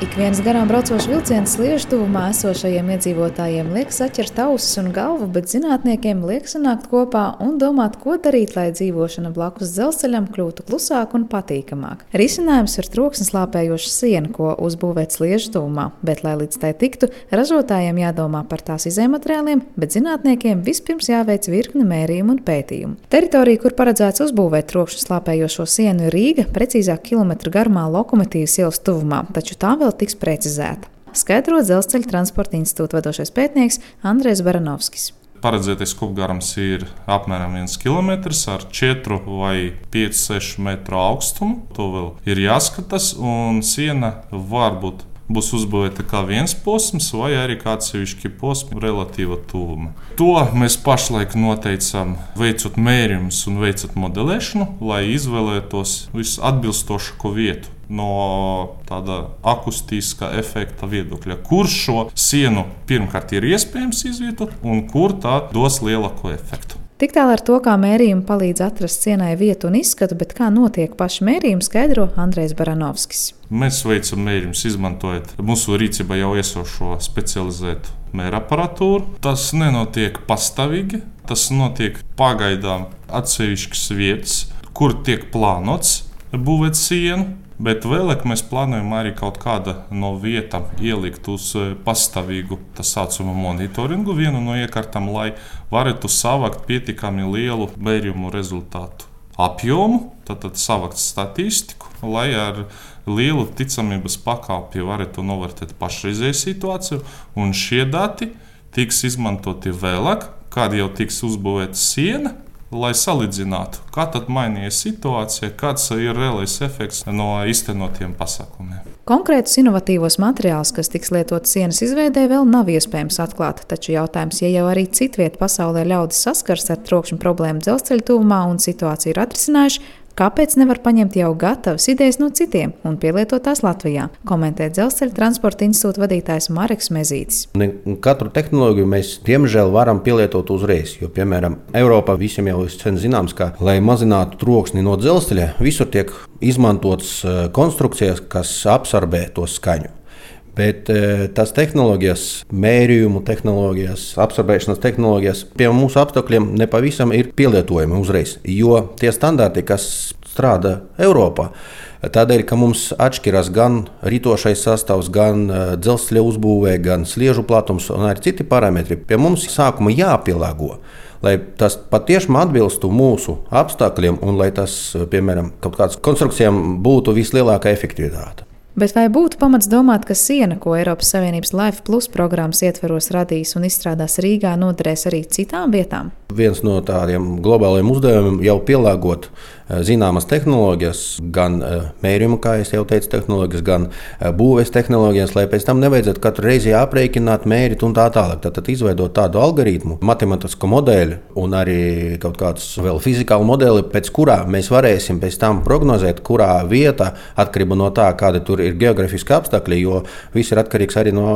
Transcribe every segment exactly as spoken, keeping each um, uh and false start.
Ik viens garām braucošs vilciens sliežu tuvumā esošajiem iedzīvotājiem liek saķert ausis un galvu, bet zinātniekiem liek sanākt kopā un domāt, ko darīt, lai dzīvošana blakus dzelzceļam kļūtu klusāk un patīkamāk. Risinājums ir troksni slāpējoša siena, ko uzbūvēt sliežu tuvumā, bet, lai līdz tai tiktu, ražotājiem jādomā par tās izejmateriāliem, bet zinātniekiem vispirms jāveic virkne mērījumu un pētījumu. Teritorija, kur paredzēts uzbūvēt trokšņu slāpējošo sienu, ir Rīga, precīzāk kilometru garumā Lokomotīvas ielas tuvumā, taču tā vēl tiks precizēta. Skaidro Dzelzceļa transporta institūta vadošais pētnieks Andrejs Baranovskis. Paredzētais kopgarums ir apmēram viens kilometrs ar četru vai piecu sešu metru augstumu. To vēl ir jāskatās, un siena varbūt būs uzbūvēta kā viens posms vai arī kā atsevišķi posmi relatīva tuvuma. To mēs pašlaik noteicam, veicot mērījumus un veicot modelēšanu, lai izvēlētos visatbilstošāko vietu no tāda akustiskā efekta viedokļa, kur šo sienu pirmkārt ir iespējams izvietot un kur tā dos lielāko efektu. Tik tālu ar to, kā mērījumi palīdz atrast sienai vietu un izskatu, bet kā notiek paši mērījumi, skaidro Andrejs Baranovskis. Mēs veicam mērījumus, izmantojot mūsu rīcībā jau esošo specializētu mēraparatūru. Tas nenotiek pastāvīgi, tas notiek pagaidām atsevišķas vietas, kur tiek plānots būvēt sienu. Bet vēlāk mēs plānojam arī kaut kādu no vietām ielikt uz pastāvīgu tā saucamo monitoringu, vienu no iekārtām, lai varētu savākt pietiekami lielu mērījumu rezultātu apjomu, tātad savākt statistiku, lai ar lielu ticamības pakāpi varētu novērtēt pašreizēju situāciju. Un šie dati tiks izmantoti vēlāk, kad jau tiks uzbūvēta siena, lai salīdzinātu, kā tad mainījies situācija, kāds ir reālais efekts no īstenotiem pasākumiem. Konkrētus inovatīvos materiālus, kas tiks lietot sienas izveidē, vēl nav iespējams atklāt, taču jautājums, ja jau arī citviet pasaulē ļaudis saskars ar trokšņu problēmu dzelzceļa tuvumā un situāciju ir atrisinājuši, kāpēc nevar paņemt jau gatavas idejas no citiem un pielietot tās Latvijā, komentē Dzelzceļa transporta institūta vadītājs Mareks Mezītis. Ne katru tehnoloģiju mēs, diemžēl, varam pielietot uzreiz, jo, piemēram, Eiropā visiem jau ir sen zināms, ka, lai mazinātu troksni no dzelzceļa, visur tiek izmantotas konstrukcijas, kas absorbē to skaņu. Bet tās tehnoloģijas, mērījumu tehnoloģijas, absorbēšanas tehnoloģijas pie mūsu apstākļiem nepavisam ir pielietojami uzreiz. Jo tie standarti, kas strādā Eiropā, tādēļ, ka mums atšķiras gan ritošais sastāvs, gan dzelzceļa uzbūvē, gan sliežu platums un arī citi parametri, pie mums sākuma jāpielāgo. Lai tas patiešām atbilstu mūsu apstākļiem un lai tas, piemēram, kaut kādas konstrukcijām būtu vislielākā efektivitāte. Bet vai būtu pamats domāt, ka siena, ko Eiropas Savienības Life Plus programmas ietvaros radīs un izstrādās Rīgā, noderēs arī citām vietām? Viens no tādiem globāliem uzdevumiem jau pielāgot zināmas tehnoloģijas, gan mērījuma, kā jau teicu, tehnoloģijas, gan būves tehnoloģijas, lai pēc tam nevajadzētu katru reizi aprēķināt, mērīt un tā tālāk. Tad izveidot tādu algoritmu, matemātisku modeli un arī kaut kādus vēl fizikālu modeli, pēc kurā mēs varēsim pēc tam prognozēt, kurā vieta, atkarībā no tā, kāda tur ir geogrāfiski apstākļi, jo viss ir atkarīgs arī no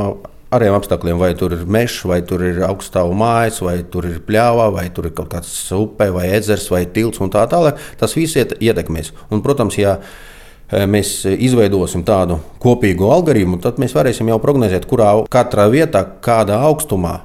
ārējiem apstākļiem, vai tur ir mežs, vai tur ir augststāvu mājas, vai tur ir pļāvā, vai tur ir kaut kāds upe, vai ezers, vai tilts un tā tālāk. Tas viss ietekmēs. Un, protams, ja mēs izveidosim tādu kopīgu algoritmu, tad mēs varēsim jau prognozēt, kurā katrā vietā, kādā augstumā,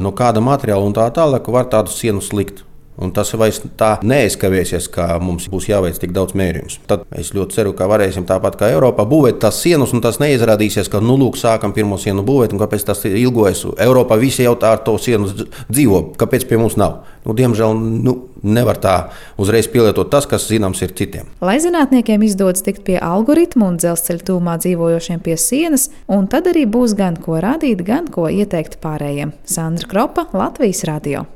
no kāda materiāla un tā tālāk var tādu sienu slikt. Un tas vairs tā neaizkavēsies, kā mums būs jāveic tik daudz mērījumus. Tad es ļoti ceru, ka varēsim tāpat kā Eiropā būvēt tās sienas, un tas neizrādīsies, ka nu lūk, sākam pirmo sienu būvēt, un kāpēc tas ilgojas. Eiropā visi jau tā ar to sienu dzīvo, kāpēc pie mums nav. Nu, diemžēl nu, nevar tā uzreiz pielietot tas, kas zināms ir citiem. Lai zinātniekiem izdodas tikt pie algoritmu un dzelzceļa tuvumā dzīvojošiem pie sienas, un tad arī būs gan ko rādīt, gan ko ieteikt pārējiem. Sandra Kropa, Latvijas radio.